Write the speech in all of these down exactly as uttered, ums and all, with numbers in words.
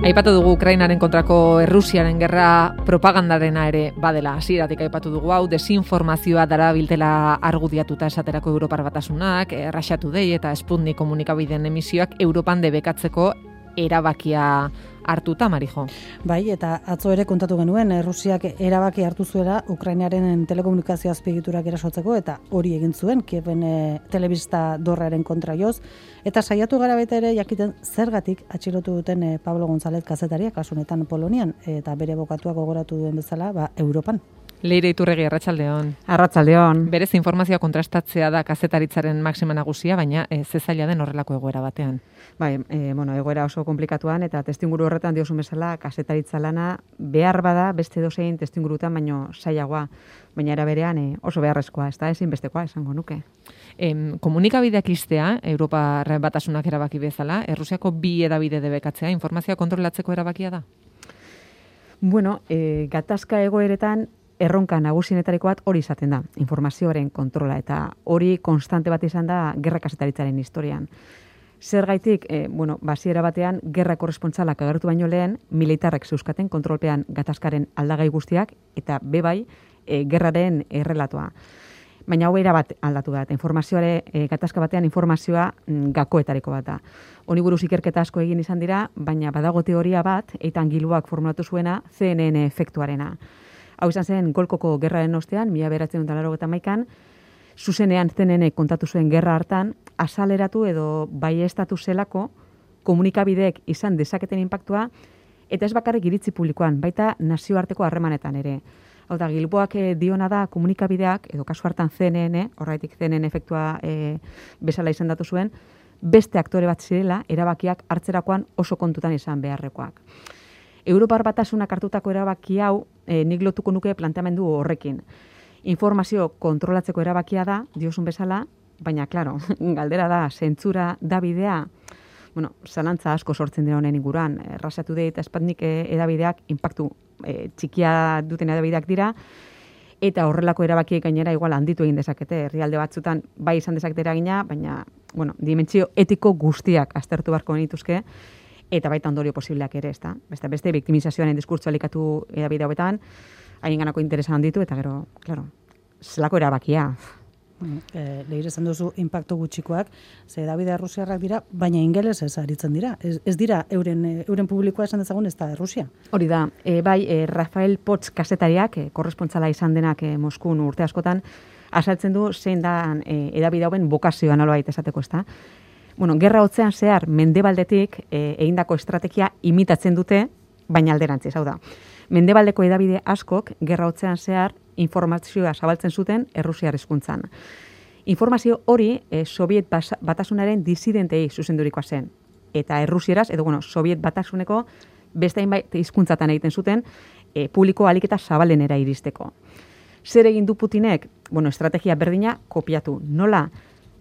Aipatu dugu Ukrainaren kontrako Errusiaren gerra propagandarena ere badela. Hasieratik aipatu dugu hau desinformazioa darabiltela argudiatuta esaterako Europar Batasunak, Russia Today eta Sputnik komunikabideen emisioak Europan debekatzeko erabakia hartuta, Marijo. Bai, eta atzo ere kontatu genuen, Errusiak erabaki hartu zuela Ukrainaren telekomunikazio azpiegiturak erasotzeko, eta hori egin zuen, Kieven e, telebista dorraren kontra joz, eta saiatu gara baita ere jakiten zergatik atxilotu duten e, Pablo González kazetaria, kasunetan Polonian, eta bere bokatuak gogoratu duen bezala, ba, Europan. Leire Iturregi, arratsaldeon. Arratsaldeon. Berez informazioa kontrastatzea da kazetaritzaren maxima nagusia, baina e, ze zaila den horrelako egoera batean. Bai, e, bueno, egoera oso komplikatuan eta testinguru horretan diosun bezala kazetaritza lana behar bada beste dozein testingurutan baino sailagoa, baina era berean e, oso beharrezkoa, ez da ezinbestekoa esango nuke. Em, komunikabideak iztea, Europar Batasunak erabaki bezala, Errusiako bi hedabide debekatzea, informazioa kontrolatzeko erabakia da? Bueno, e, gatazka egoeretan erronka nagusienetariko bat hori izaten da, informazioaren kontrola, eta hori konstante bat izan da gerra kazetaritzaren historian. Zergaitik, e, bueno, basiera batean, gerra korrespontsalak agertu baino lehen, militarrek zeuskaten kontrolpean gatazkaren aldagai guztiak, eta bebai, e, gerraren errelatoa. Baina hau bat aldatu da, eta informazioare, e, gatazka batean informazioa mm, gakoetariko bat da. Honi buruz ikerketa asko egin izan dira, baina badago teoria bat, Eitan Gilboak formulatu zuena, C N N efektuarena. Hau izan zen Golkoko gerraren ostean, mila bederatziehun eta laurogeita hamaikan, zuzenean C N N kontatu zuen gerra hartan, azaleratu edo baieztatu zelako komunikabideek izan dezaketen inpaktua, eta ez bakarrik iritzi publikoan, baita nazioarteko harremanetan ere. Hau da, Gilboak diona da komunikabideak, edo kasu hartan C N N, horretik C N N efektua e, bezala izendatu zuen, beste aktore bat zirela, erabakiak hartzerakoan oso kontutan izan beharrekoak. Europar Batasunak hartutako erabaki hau, e, nik lotuko nuke planteamendu horrekin. Informazio kontrolatzeko erabakia da, diosun bezala, baina, klaro, galdera da, zentzura da bidea, bueno, zalantza asko sortzen dira honen inguruan, Russia Today eta Sputnik edabideak inpaktu e, txikia duten edabideak dira, eta horrelako erabakiek gainera igual handitu egin dezakete, herrialde batzutan bai izan dezakete eragina, baina, bueno, dimentsio etiko guztiak aztertu beharko genituzke, eta baita ondorio posibleak ere, ezta? Beste, beste biktimizazioaren diskurtsoa elikatu edabide hauetan, haien ganako interesa handitu, eta gero, klaro, zelako erabakia. E, Leire esan duzu inpaktu gutxikoak, ze edabide errusiarrak dira, baina ingelesez aritzen dira. Ez, ez dira euren, euren publikoa esan dezagun ez da Errusia. Hori da, e, bai, e, Rafael Potts kazetariak, e, korrespontsala izan denak e, Moskun urte askotan, azaltzen du zein da e, edabide hauen bokazioa nolabait esateko, ez da. Bueno, gerra hotzean zehar mendebaldetik e, egindako estrategia imitatzen dute, baina alderantziz, hau da. Mendebaldeko edabide askok gerra hotzean zehar informazioa zabaltzen zuten Errusiar hizkuntzan. Informazio hori e, Sobiet Batasunaren disidentei zuzendurikoa zen. Eta Errusieraz, edo bueno, Sobiet Batasuneko beste hainbait hizkuntzatan egiten zuten e, publiko ahalik eta zabalenera iristeko. Zer egin du Putinek? Bueno, estrategia berdina kopiatu. Nola?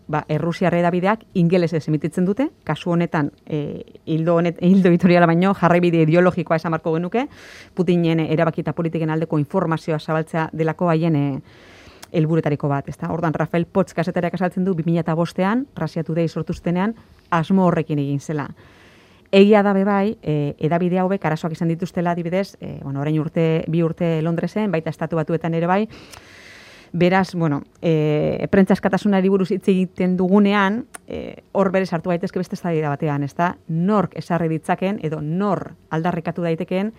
Ba, Errusiar edabideak ingelesez emititzen dute, kasu honetan e, hildo, honet, hildo editoriala baino jarraibide ideologikoa esan marko genuke, Putinen erabaki eta politiken aldeko informazioa zabaltzea delako haien e, helburuetariko bat. Ezta? Ordan Rafael Potts kazetariak azaltzen du bi mila bostean, Russia Today sortuztenean, asmo horrekin egin zela. Egia da bebai, e, edabide hauek arazoak izan dituztela adibidez, e, bueno, orain urte, bi urte Londresen, baita estatu batuetan ere bai. Beraz, bueno, e, prentza askatasunari buruz hitz egiten dugunean, e, hor berez hartu daitezke beste eztabaida batean, ezta? Nork ezarri ditzaken edo nor aldarrikatu daitekeen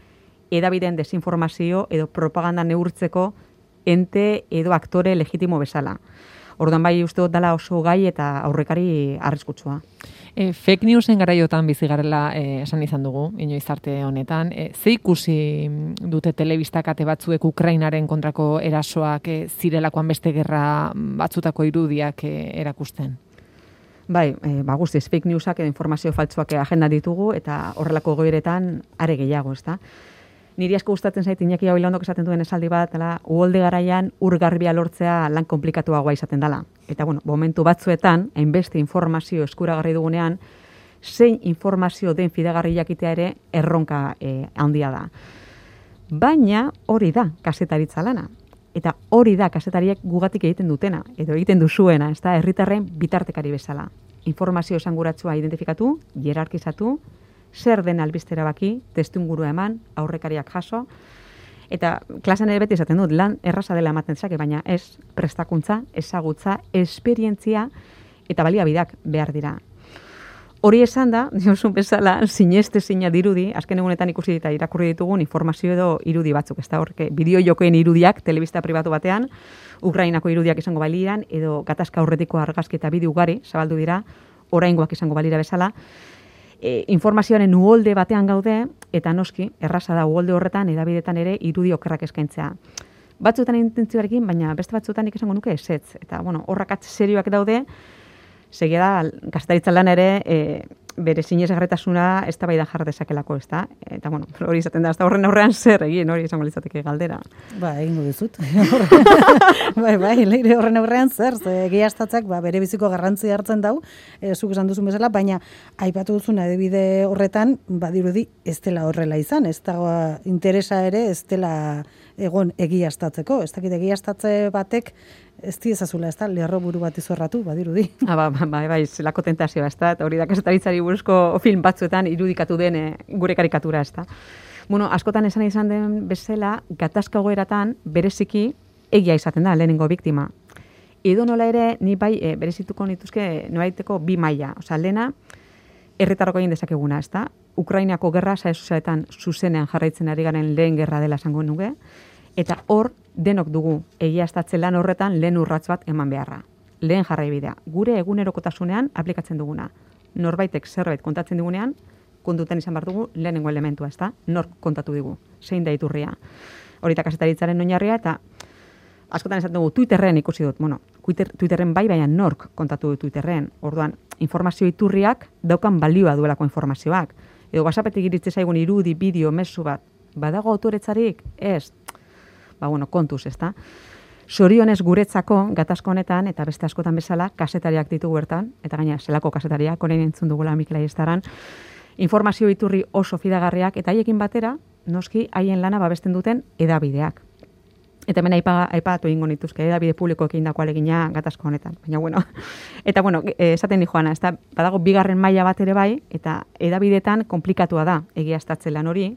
edabideen desinformazio edo propaganda neurtzeko ente edo aktore legitimo bezala. Orduan bai uste dut dela oso gai eta aurrekari arriskutsua. E, fake newsen garaiotan bizi garela e, esan izan dugu, inoiz arte honetan. E, ze ikusi dute telebistak ate batzuek Ukrainaren kontrako erasoak e, zirelakoan beste gerra batzutako irudiak e, erakusten? Bai, e, ba, guztiz, fake newsak edo informazio faltsuak agenda ditugu eta horrelako goiretan are gehiago, ezta? Niri asko gustatzen zait Iñaki Gabilondok esaten duen esaldi bat, dela, uholde garaian ur garbia lortzea lan komplikatuagoa izaten dela. Eta bueno, momentu batzuetan, hainbeste informazio eskuragarri dugunean, zein informazio den fidagarri jakitea ere erronka e, handia da. Baina hori da kazetaritza lana. Eta hori da kazetariek gugatik egiten dutena, edo egiten duzuena, ez da, herritarren bitartekari bezala. Informazio esanguratsua identifikatu, hierarkizatu, zer den albistera baki, testuingurua eman, aurrekariak jaso, eta klasean ere beti esaten dut, lan erraza dela ematen zake, baina ez prestakuntza, ezagutza, esperientzia eta baliabideak behar dira. Hori esan da, diozun bezala, sineste sina dirudi, azken egunetan ikusi eta irakurri ditugun informazio edo irudi batzuk, ez da horke, bideo jokoen irudiak, telebista pribatu batean, Ukrainako irudiak izango baliran, edo gatazka aurretiko argazki eta bideo ugari, zabaldu dira, oraingoak izango balira bezala, e, informazioaren uholde batean gaude, eta noski, erraza da uholde horretan, edabidetan ere, irudi okerrak eskaintzea. Batzuetan intentzioarekin, baina beste batzuetan nik esango nuke ezetz, eta bueno, horrakatz serioak daude, segia da, kazetaritza lan ere, e, bere sinesgarritasuna ez da bai da jar dezakelako, ez da? Eta, bueno, hori izaten da, ez da horren aurrean zer egin, hori izango litzateke galdera. Ba, egingo dizut. bai, bai, leire horren aurrean zer, ze egiaztatzak, ba, bere biziko garrantzia hartzen dau, e, zuk esan duzun bezala, baina aipatu duzun adibide horretan, badirudi ez dela horrela izan, ez da interesa ere ez dela egon egiaztatzeko, ez dakit egiaztatze batek ez diezazula, ez da, lerro buru bat izorratu, badirudi. Ah, ba, ba, ba, bai, zelako tentazioa, ez da, hori da kazetaritzari buruzko film batzuetan irudikatu den e, gure karikatura, ez da. Bueno, askotan esan izan den bezala, gatazka goeratan bereziki egia izaten da, lehenengo biktima. Edo nola ere, ni bai, e, berezituko nituzke, nobaiteko bi maila, osea, lehena, herritarroko egin dezakeguna, ez da, Ukrainako gerra, sare sozialetan zuzenean jarraitzen ari garen lehen gerra dela esango nuke, eta hor, denok dugu egiaztatze lan horretan lehen urrats bat eman beharra. Lehen jarraibidea. Gure egunerokotasunean aplikatzen duguna. Norbaitek zerbait kontatzen digunean, kontutan izan behar dugu lehenengo elementua, ezta? Nork kontatu digu, zein da iturria. Hori da kazetaritzaren oinarria, eta askotan esaten dugu Twitterren ikusi dut. Bueno, Twitterren bai, baina nork kontatu du Twitterren. Orduan, informazio iturriak daukan balioa duelako informazioak. Edo WhatsAppetik iritze zaigun irudi, bideo, mezu bat. Badago autoretzarik? Ez. Ba, bueno, kontuz, ezta? Sorionez guretzako, gatazko honetan, eta beste askotan bezala, kasetariak ditugu bertan, eta gaina, zelako kasetariak, orain entzun dugula Mikel Aiestaran, informazio iturri oso fidagarriak, eta haiekin batera, noski, haien lana babesten duten edabideak. Eta hemen aipa, aipatu egingo nituzke, edabide publikoek egindako alegina gatazko honetan. Baina, bueno, eta, bueno, esaten di joana, ez da, badago bigarren maila bat ere bai, eta edabidetan komplikatua da egiaztatze lan hori.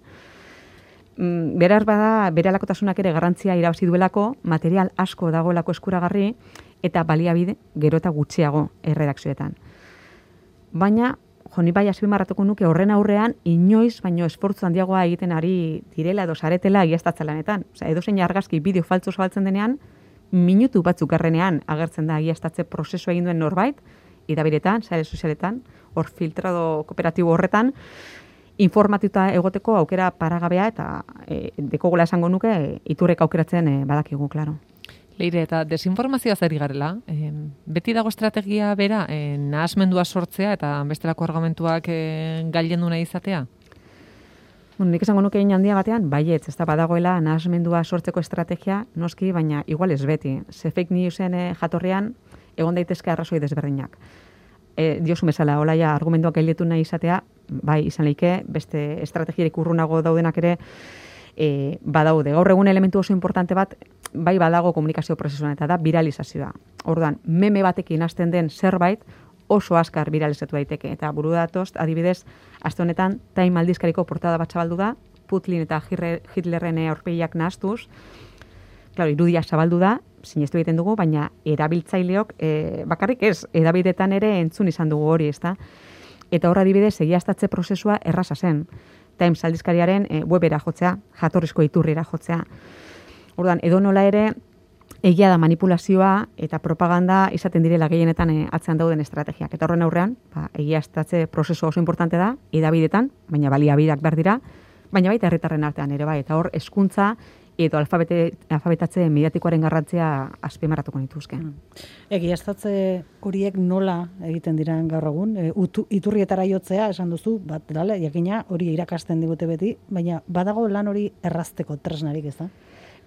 Beraz bada, bere alakotasunak ere garrantzia irabazi duelako, material asko dagoelako eskuragarri, eta baliabide gero eta gutxiago erredakzioetan. Baina, joni bai azpimarratuko nuke horren aurrean, inoiz baino esfortzu handiagoa egiten ari direla edo saretela egiaztatze lanetan. Osea, edozein argazki bideo faltzu zabaltzen denean, minutu batzuk garrenean agertzen da egiaztatze prozesua egin duen norbait, edabidetan, sare sozialetan, hor filtrado kooperatibo horretan, informatuta egoteko aukera paragabea eta e, dekogola esango nuke e, iturrek aukeratzen e, badakigu, klaro. Leire, eta desinformazioa zari garela, e, beti dago estrategia bera, e, nahasmendua sortzea eta bestelako argumentuak e, gailendu nahi izatea? Bueno, nik esango nuke handia batean, baietz, ez da badagoela nahasmendua sortzeko estrategia, noski, baina igual ez beti. Ze fake newsen e, jatorrean egon daitezke arrazoi desberdinak. E, diosu bezala, hola ja, argumentuak gailetu nahi izatea, bai, izan leike, beste estrategiarik urrunago daudenak ere e, badaude. Gaur egun elementu oso importante bat, bai badago komunikazio prozesuan, eta da viralizazioa. Orduan, meme batekin hasten den zerbait oso azkar viralizatu daiteke. Eta buru datoz, adibidez, aste honetan, Time aldizkariko portada bat zabaldu da, Putin eta Hitlerren aurpegiak nahastuz, claro, irudia zabaldu da, sinestu egiten dugu, baina erabiltzaileok e, bakarrik ez, edabidetan ere entzun izan dugu hori, ezta? Eta horra adibidez, egiaztatze prozesua erraza zen. Times aldizkariaren e, webera jotzea, jatorrizko iturrira jotzea. Orduan, edo nola ere, egia da manipulazioa eta propaganda izaten direla gehienetan e, atzean dauden estrategiak. Eta horren aurrean, ba, egiaztatze prozesu oso importante da, edabidetan, baina baliabideak behar dira, baina baita herritarren artean ere bai, eta hor hezkuntza edo alfabete, alfabetatze mediatikoaren garrantzia azpimarratuko nituzke. Egiaztatze horiek nola egiten diran gaur egun? E, utu, iturrietara jotzea, esan duzu, bat dale, jakina hori irakasten digute beti, baina badago lan hori errazteko tresnarik, ez da?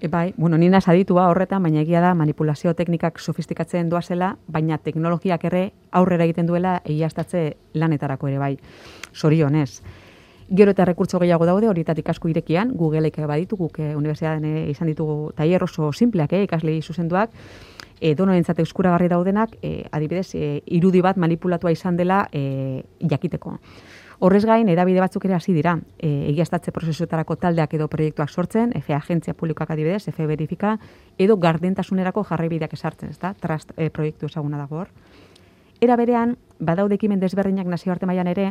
E, bai, bueno, nina saditua horretan, baina egia da manipulazio teknikak sofistikatzen doazela, baina teknologiak ere aurrera egiten duela egiaztatze lanetarako ere bai. Zorionez. Gero eta rekurtso gehiago daude, horietatik asko irekian, Googleek baditu, guk e, unibertsitatean e, izan ditugu tailer oso simpleak, e, ikaslei zuzenduak, e, donorentzat eskuragarri daudenak, e, adibidez, e, irudi bat manipulatua izan dela e, jakiteko. Horrez gain, edabide batzuk ere hasi dira, e, egiaztatze prozesuetarako taldeak edo proiektuak sortzen, F agentzia publikoak adibidez, F verifika, edo gardentasunerako jarraibideak esartzen, ezta? Trust e, proiektu ezaguna dago hor. Era berean, badaude ekimen desberdinak nazioarte mailan ere,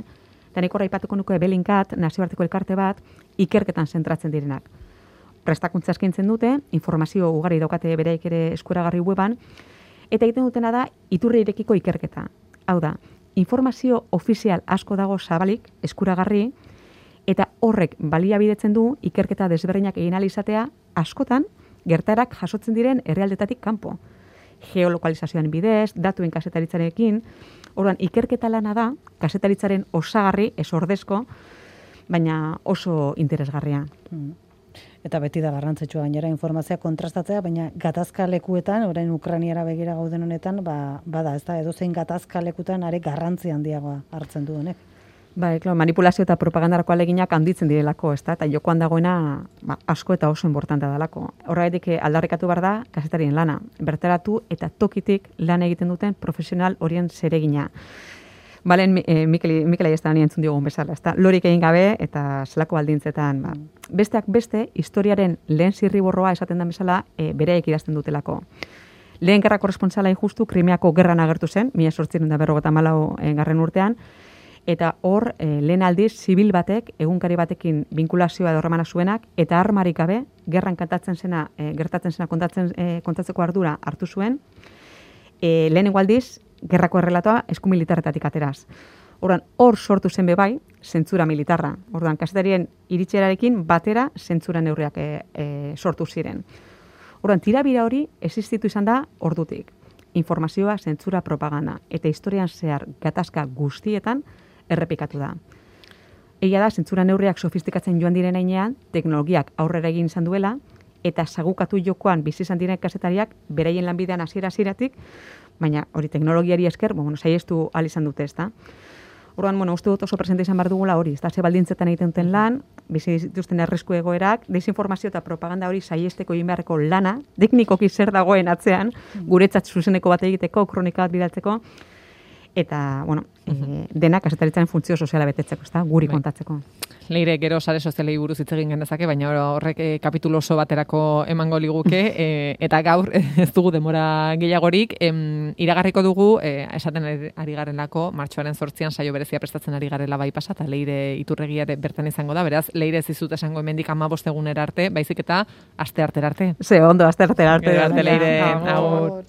eta nik aipatuko nuke Bellingcat, nazioarteko elkarte bat, ikerketan zentratzen direnak. Prestakuntza eskaintzen dute, informazio ugari daukate bereik ere eskuragarri weban, eta egiten dutena da iturri irekiko ikerketa. Hau da, informazio ofizial asko dago zabalik, eskuragarri, eta horrek baliabidetzen du ikerketa desberdinak egin ahal izatea askotan gertaerak jasotzen diren herrialdetatik kanpo. Geolokalizazioan bidez, datuen kasetaritzarekin, orduan ikerketa lana da, kasetaritzaren osagarri, ez ordezko, baina oso interesgarria. Mm. Eta beti da garrantzitsua gainera informazioa kontrastatzea, baina gatazka lekuetan, orain Ukrainiara begira gauden honetan, ba, bada, ez da, edozein gatazka lekuetan are garrantzi handiagoa hartzen du honek. Bai, klar, manipulazio eta propagandarako aleginak handitzen direlako, ez da, eta jokoan dagoena ba, asko eta oso importantea dalako. Horregatik aldarrikatu behar da, kazetarien lana, bertaratu eta tokitik lan egiten duten profesional horien zeregina. Balen, e, Mikel, Mikel Aiestan entzun diogun bezala, ez da, lorik egin gabe eta zelako baldintzetan, ba. Besteak beste, historiaren lehen zirriborroa esaten da bezala, e, bereek idazten dutelako. Lehen gerra korresponsala injustu, Krimeako gerran agertu zen, mila zortziehun eta berrogeita hamalau garren urtean, eta hor, e, lehen aldiz, zibil batek, egunkari batekin binkulazioa edo harremana zuenak, eta armarik gabe, gerran kantatzen zena, e, gertatzen zena kontatzen, e, kontatzeko ardura hartu zuen, e, lehenengo aldiz, gerrako errelatoa eskumilitarretatik ateraz. Orduan, hor sortu zen bebai, zentzura militarra. Orduan, kazetarien iritserarekin batera zentzura neurriak e, e, sortu ziren. Orduan, tirabira hori existitu izan da ordutik. Informazioa, zentzura, propaganda. Eta historian zehar gatazka guztietan errepikatu da. Egia da, zentzura neurriak sofistikatzen joan diren heinean, teknologiak aurrera egin izan duela, eta sagukatu jokoan bizi izan diren kazetariak beraien lanbidean hasiera-hasieratik, baina hori teknologiari esker, bueno, saiestu ahal izan dute, ezta. Orduan, bueno, uste dut oso presente izan behar dugula hori, ez da, ze baldintzetan egiten duten lan, bizi dituzten arrisku egoerak, desinformazio eta propaganda hori saiesteko egin beharreko lana, teknikoki zer dagoen atzean, guretzat zuzeneko bat egiteko, kronika bat bidaltzeko, eta, bueno, e, denak kazetaritzaren funtzio soziala betetzeko, ezta, guri bai. Kontatzeko. Leire, gero sare sozialei buruz hitz egin genezake, baina horrek e, kapitulu oso baterako emango liguke, e, eta gaur ez dugu demora gehiagorik, em, iragarriko dugu, e, esaten ari garenako, martxoaren zortzian saio berezia prestatzen ari garela bai pasa, eta Leire Iturregia ere bertan izango da, beraz, Leire ez dizut esango hemendik hamabost egunera arte, baizik eta aste artera arte. Ze, ondo, aste artera arte. Gero arte, Leire, agur.